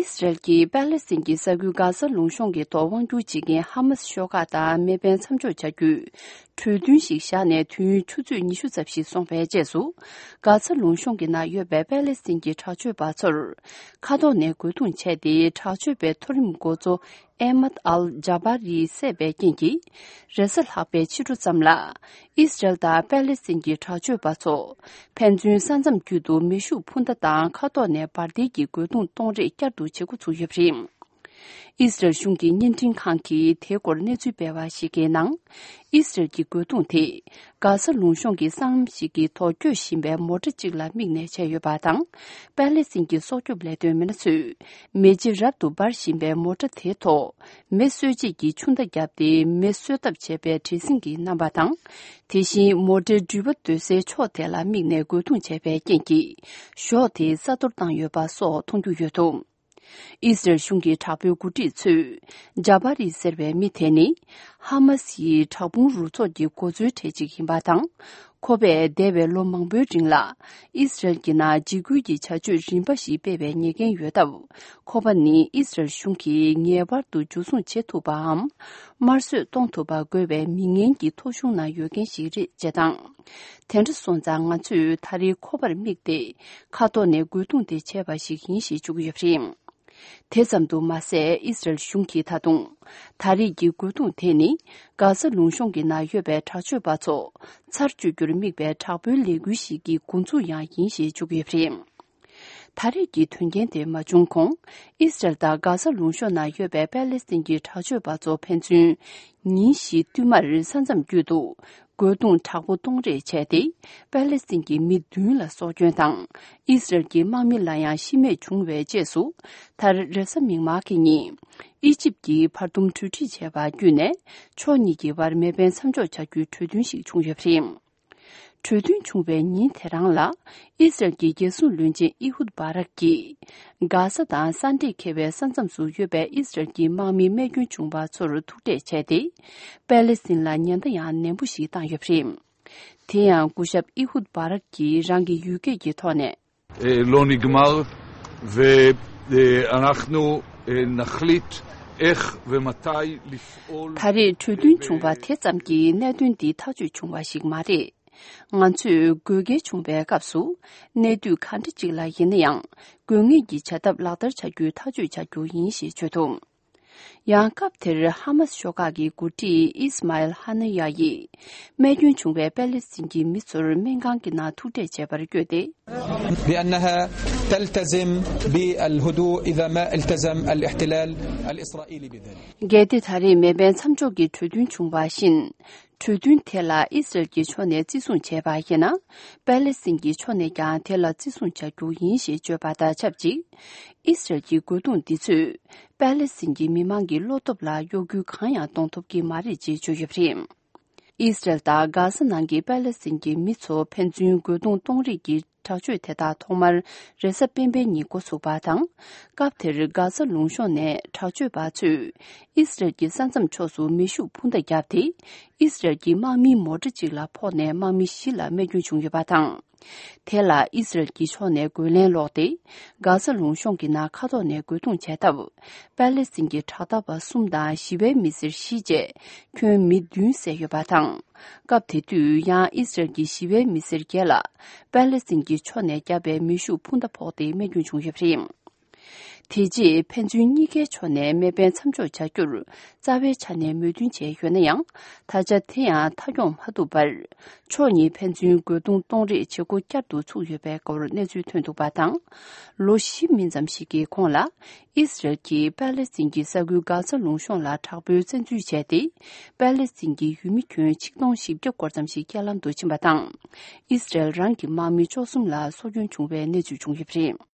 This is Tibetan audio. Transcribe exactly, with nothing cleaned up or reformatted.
ཨི་སི་རལ་གྱིས་པ་ལེ་སི་ཐན་གྱི་ས་ཁུལ་གྷ་ས་ལུང་གཤོང་གི་ཐོག་དབང་བསྒྱུར་བྱེད་མཁན་ཧ་མ་སི་ཤོག་ཁག་དང་མེ་འཕེན་མཚམས་འཇོག་བྱ་རྒྱུའི་གྲོས་མཐུན་ཞིག་བཞག་ནས་དུས་ཡུན་ཆུ་ཚོད་ཉི་ཤུ་ཙམ་ཞིག་སོང་བའི་རྗེས་སུ། གྷ་ས་ལུང་གཤོང་གི་ནང་ཡོད་པའི་པ་ལེ་སི་ཐན་གྱི་དྲག་སྤྱོད་པ་ཚོར་མཁའ་ཐོག་ནས་རྒོལ་རྡུང་བྱས་ཏེ། དྲག་སྤྱོད་པའི་མཐོ་རིམ་འགོ་གཙོ་ཨེ་མད་ཨལ་ཇཱ་བྷ་རི་བསད་པའི་རྐྱེན་གྱིས། རེས་གཟའ་ལྷག་པའི་ཕྱི་དྲོ་ཙམ་ལ། ཨི་སི་རལ་དང་པ་ལེ་སི་ཐན་གྱི་དྲག་སྤྱོད་པ་ཚོ། ཕན་ཚུན་ས་མཚམས་བརྒྱུད་དུ་མེ་ཤུགས་འཕུར་མདའ་དང་མཁའ་ཐོག་ནས་འབར་མདེལ་གྱི་རྒོལ་རྡུང་གཏོང་རེས་བསྐྱར་དུ་བྱེད་འགོ་ཚུགས་ཡོད་པ་རེད། ཨི་སི་རལ་གཞུང་གི་བརྙན་འཕྲིན་ཁང་གིས་དེའི་སྐོར་གནས་ཚུལ་སྤེལ་བ་ཞིག་གི་ནང་། ཨི་སི་རལ་གྱི་རྒོལ་རྡུང་དེ། གྷ་ས་ལུང་གཤོང་གི་སྲང་ལམ་ཞིག་གི་ཐོག་སྐྱོད་བཞིན་པའི་མོ་ཊ་གཅིག་ལ་དམིགས་ནས་བྱས་ཡོད་པ་དང་། པ་ལེ་སི་ཐན་གྱི་སྲོག་སྐྱོབ་ལས་དོན་མི་སྣ་ཚོས། མེ་ལྕེ་རབ་ཏུ་འབར་བཞིན་པའི་མོ་ཊ་དེའི་ཐོག་མེ་གསོད་བྱེད་ཀྱི་ཆུ་མདའ་བརྒྱབ་སྟེ། མེ་གསོད་ཐབས་བྱས་པའི་བྲེལ་ཟིང་གི་རྣམ་པ་དང་། དེ་བཞིན་མོ་ཊའི་འགྲུལ་པ་སྡོད་སའི་ཕྱོགས་དེ་ལ་དམིགས་ནས་རྒོལ་རྡུང་བྱས་པའི་རྐྱེན་གྱིས། གཞོགས་དེ་ས་གཏོར་བཏང་ཡོད་པ་སོགས་མཐོང་རྒྱུ་ཡོད་འདུག་ཨི་སི་རལ་གཞུང་གི་དྲག་པོའི་འགོ་ཁྲིད་ཚོས། ཇཱ་བྷ་རི་ཟེར་བའི་མི་དེ་ནི། ཧ་མ་སི་ཡི་དྲག་དཔུང་རུ་ཚོགས་ཀྱི་འགོ་གཙོའི་གྲས་གཅིག་ཡིན་པ་དང་། ཁོ་པས་འདས་པའི་ལོ་མང་པོའི་རིང་ལ། ཨི་སི་རལ་གྱི་ནང་འཇིགས་སྐུལ་གྱི་བྱ་སྤྱོད་རིམ་པ་ཞིག་སྤེལ་བའི་ཉེས་འགན་ཡོད་སྟབས། ཁོ་པ་ནི་ཨི་སི་རལ་གཞུང་གིས་ངེས་པར་དུ་འཇུ་བཟུང་བྱེད་ཐུབ་པའམ། དམར་གསོད་གཏོང་ཐུབ་པ་དགོས་པའི་མི་ངན་གྱི་ཐོ་གཞུང་ནང་ཡོད་མཁན་ཞིག་རེད་ཅེས་དང་། དེ་འདྲ་སོང་ཙང་ང་ཚོས་ད་རེས་ཁོ་པར་དམིགས་ཏེ། མཁའ་ཐོག་ནས་རྒོལ་རྡུང་དེ་བྱས་པ་ཞིག་ཡིན་ཞེས་བརྗོད་ཀྱི་ཡོད་པ་རེད། དེ་ཙམ་དུ་མ་ཟད། ཨི་སི་རལ་གཞུང་གིས་ད་དུང་། ད་རེས་ཀྱི་རྒོལ་རྡུང་དེ་ནི། གྷ་ས་ལུང་གཤོང་གི་ནང་ཡོད་པའི་དྲག་སྤྱོད་པ་ཚོ། ཚར་གཅོད་རྒྱུར་དམིགས་པའི་དྲག་པོའི་ལས་འགུལ་ཞིག་གི་འགོ་འཛུགས་ཡང་ཡིན་ཞེས་བརྗོད་ཀྱི་ཡོད་པ་རེད། ད་རེས་ཀྱི་དོན་རྐྱེན་དེ་མ་བྱུང་གོང་། ཨི་སི་རལ་དང་གྷ་ས་ལུང་གཤོང་ནང་ཡོད་པའི་པ་ལེ་སི་ཐན་གྱི་དྲག་སྤྱོད་པ་ཚོ་ཕན་ཚུན། ཉིན་བཞིའི་བསྟུད་མར་ས་མཚམས་བརྒྱུད་དུ། རྒོལ་རྡུང་དྲག་པོ་གཏོང་རེས་བྱས་ཏེ། པ་ལེ་སི་ཐན་གྱི་མི་བདུན་ལ་སྲོག་སྐྱོན་དང་། ཨི་སི་རལ་གྱི་དམག་མི་ལ་ཡང་ཤི་རྨས་བྱུང་བའི་རྗེས་སུ། མཐར་རེས་གཟའ་མིག་དམར་གྱི་ཉིན། ཨི་ཇིབ་ཀྱིས་བར་འདུམ་གྲོས་འགྲིག་བྱས་པ་བརྒྱུད་ནས། ཕྱོགས་གཉིས་ཀྱི་བར་མེ་འཕེན་མཚམས་འཇོག་བྱ་རྒྱུའི་གྲོས་མཐུན་ཞིག་བྱུང་ཡོད་པ་རེད། གྲོས་མཐུན་བྱུང་བའི་ཉིན་དེ་རང་ལ། ཨི་སི་རལ་གྱི་རྒྱལ་སྲུང་བློན་ཆེན་ཨི་ཧུད་བྷ་རག་གིས། གྷ་ས་དང་ས་འདྲེས་འཁེལ་བའི་ས་མཚམས་སུ་ཡོད་པའི་ཨི་སི་རལ་གྱི་དམག་མི་རྨས་སྐྱོན་བྱུང་བ་ཚོར་ཐུག་འཕྲད་བྱས་ཏེ། པ་ལེ་སི་ཐན་ལ་ཉེན་བརྡ་ཡང་ནན་པོ་ཞིག་བཏང་ཡོད་པ་རེད། དེ་ཡང་སྐུ་ཞབས་ཨི་ཧུད་བྷ་རག་གིས་རང་གི་ཡུལ་སྐད་ཀྱི་ཐོག་ནས། اه، לא נגמר، ואנחנו، اه، נחליט איך ומתי לפעול ད་རེས་གྲོས་མཐུན་བྱུང་བ་དེ་ཙམ་གྱིས་གནད་དོན་འདི་ཐག་གཅོད་བྱུང་བ་ཞིག་མ་རེད། ང་ཚོས་དགོས་གལ་བྱུང་བའི་སྐབས་སུ། གནས་དུས་གང་འདྲ་ཅིག་ལ་ཡིན་ན་ཡང་། དགོས་ངེས་ཀྱི་བྱ་ཐབས་ལག་བསྟར་བྱ་རྒྱུའི་ཐག་གཅོད་བྱ་རྒྱུ་ཡིན་ཞེས་བརྗོད་འདུག་ཡང་སྐབས་དེར་ཧ་མ་སི་ཤོག་ཁག་གི་འགོ་ཁྲིད་ཨིས་མཱ་ཨེལ་ཧ་ན་ཡ་ཡིས། རྨས་སྐྱོན་བྱུང་བའི་པེ་ལེ་སི་ཐན་གྱི་མི་ཚོར་སྨན་ཁང་གི་ནང་ཐུག་འཕྲད་བྱས་པར་བསྐྱོད་དེ། بأنها تلتزم بالهدوء إذا ما التزم الاحتلال الإسرائيلي بذلك. གལ་ཏེ་ད་རེས་མེ་འཕེན་མཚམས་འཇོག་གི་གྲོས་མཐུན་བྱུང་བ་བཞིན། གྲོས་མཐུན་དེ་ལ་ཨི་སི་རལ་གྱི་ཕྱོགས་ནས་བརྩི་སྲུང་བྱས་པ་ཡིན་ན། པེ་ལེ་སི་ཐན་གྱི་ཕྱོགས་ནས་ཀྱང་དེ་ལ་བརྩི་སྲུང་བྱ་རྒྱུ་ཡིན་ཞེས་བརྗོད་པ་དང་ཆབས་ཅིག་ཨི་སི་རལ་གྱི་རྒོལ་རྡུང་འདི་ཚོས། པེ་ལེ་སི་ཐན་གྱི་མི་མང་གི་བློ་སྟོབས་ལ་གཡོ་འགུལ་གང་ཡང་གཏོང་ཐུབ་ཀྱི་མ་རེད་ཅེས་བརྗོད་ཡོད་པ་རེད། ཨི་སི་རལ་དང་གྷ་ས་ནང་གི་པེ་ལེ་སི་ཐན་གྱི་མི་ཚོ་ཕན་ཚུན་རྒོལ་རྡུང་གཏོང་རེས་ཀྱི་དྲག་སྤྱོད་དེ་དག་ཐོག་མར་རེས་གཟའ་སྤེན་པའི་ཉིན་འགོ་ཚུགས་པ་དང་། སྐབས་དེར་གྷ་ས་ལུང་གཤོང་ནས་དྲག་སྤྱོད་པ་ཚོས་ཨི་སི་རལ་གྱི་ས་མཚམས་ཕྱོགས་སུ་མེ་ཤུགས་འཕུར་མདའ་བརྒྱབ་སྟེ། ཨི་སི་རལ་གྱི་དམག་མིའི་མོ་ཊ་གཅིག་ལ་ཕོག་ནས་དམག་མི་བཞི་ལ་རྨས་སྐྱོན་བྱུང་ཡོད་པ་དང་། དེ་ལ་ཨི་སི་རལ་གྱི་ཕྱོགས་ནས་རྒོལ་ལན་སློག་སྟེ། གྷ་ས་ལུང་གཤོང་གི་ནང་མཁའ་ཐོག་ནས་རྒོལ་རྡུང་བྱས་སྟབས། པེ་ལེ་སི་ཐན་གྱི་དྲག་འཐབ་པ་གསུམ་དང་ཞི་བའི་མི་སེར་བཞི་བཅས་ཁྱོན་མི་བདུན་བསད་ཡོད་པ་དང་། སྐབས་དེ་དུས་ཡང་ཨི་སི་རལ་གྱི་ཞི་བའི་མི་སེར་བརྒྱད་ལ་པེ་ལེ་སི་ཐན་གྱི་ཕྱོགས་ནས་བརྒྱབ་པའི་མེ་ཤུགས་འཕུར་མདའ་ཕོག་སྟེ་རྨས་སྐྱོན་བྱུང་ཡོད་པ་རེད། དེ་རྗེས་ཕན་ཚུན་གཉིས་ཀའི་ཕྱོགས་ནས་མེ་འཕེན་མཚམས་འཇོག་བྱ་རྒྱུར་རྩ་བའི་ཆ་ནས་མོས་མཐུན་བྱས་ཡོད་ན་ཡང་། ད་ཆ་དེ་ཡང་མཐའ་འཁྱོངས་མ་ཐུབ་པར། ཕྱོགས་གཉིས་ཕན་ཚུན་རྒོལ་རྡུང་གཏོང་རེས་བྱེད་འགོ་བསྐྱར་དུ་ཚུགས་ཡོད་པའི་སྐོར་གནས་ཚུལ་ཐོན་འདུག་པ་དང་། ལོ་བཞི་མིན་ཙམ་ཞིག་གི་གོང་ལ། ཨི་སི་རལ་གྱིས་པ་ལེ་སི་ཐན་གྱི་ས་ཁུལ་གྷ་ས་ལུང་གཤོང་ལ་དྲག་པོའི་བཙན་འཛུལ་བྱས་ཏེ། པ་ལེ་སི་ཐན་གྱི་ཡུལ་མི་ཁྱོན་ཆིག་སྟོང་བཞི་བརྒྱ་སྐོར་ཙམ་ཞིག་རྐྱེན་ལམ་དུ་ཕྱིན་པ་དང་། ཨི་སི་རལ་རང་གི་དམག་མི་བཅུ་གསུམ་ལ་སྲོག་སྐྱོན་བྱུང་བའི་གནས་ཚུལ་བྱུང་ཡོད་པ་རེད།